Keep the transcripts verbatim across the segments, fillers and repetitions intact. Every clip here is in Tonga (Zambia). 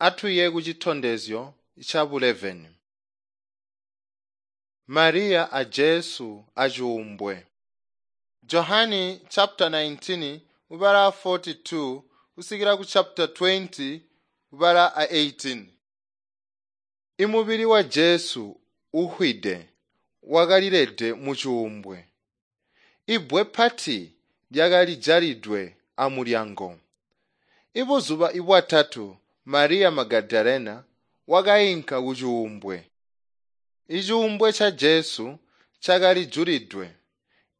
Atuye kucitondezyo ca buleveni. Mariya a Jesu acuumbwe. Johani chapter nineteen ubala forty-two kusikila ku chapter twenty ubala a eighteen. Imubili wa Jesu uhwide wakalilede mucuumbwe. Ibbwe pati lyakali jalidwe amulyango. Ibuzuba ibwatatu Mariya Magadalena wakainka kucuumbwe. Icuumbwe ca Jesu cakali julidwe,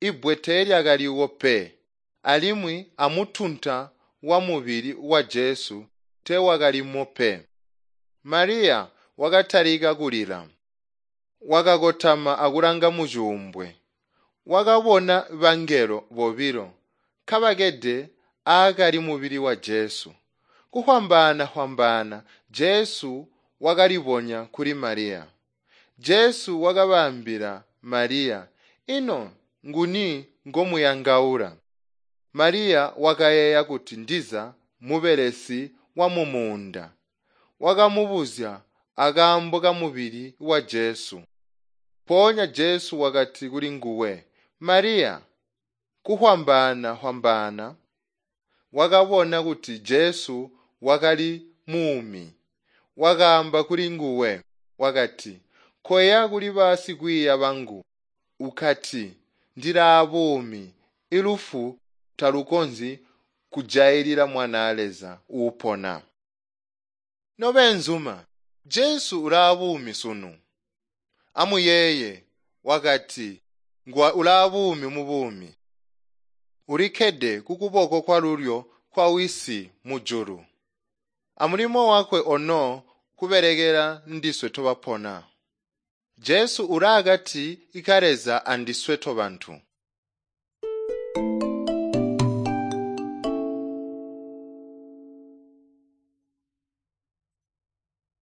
ibbwe teelyakaliwo pe, alimwi amutunta wa mubili wa Jesu teewakalimo pe. Mariya wakatalika kulila. Wakakotama akulanga mucuumbwe. Wakabona bangelo bobilo kabakede aakali mubili wa Jesu. Kuhwambaana-hwambaana Jesu wakalibonya kuli Mariya. Jesu wakabaambila Mariya, "Ino nguni ngomuyangaula?" Mariya wakayeeya kuti ndiza mubelesi wa mumuunda. Wakamubuzya akaambo kamubili wa Jesu. Mpoonya Jesu wakati kulinguwe, "Mariya." Kuhwambaana-hwambaana wakabona kuti Jesu wakali muumi. Wakaamba kulinguwe, wakati, "Koya kuli basikwiiya bangu ukati, ndilaabuumi, ilufu talukonzyi kujailila Mwanaa Leza uupona." Nobeenzuma, Jesu ulaabuumi sunu. Amuyeeye, wakati ulaabuumi mubuumi. Ulikkede kukuboko kwalulyo kwa Wisi mujulu. Amulimo wakwe ono kubelekela ndiswe tobapona. Jesu ulaakati ka Leza andiswe tobantu.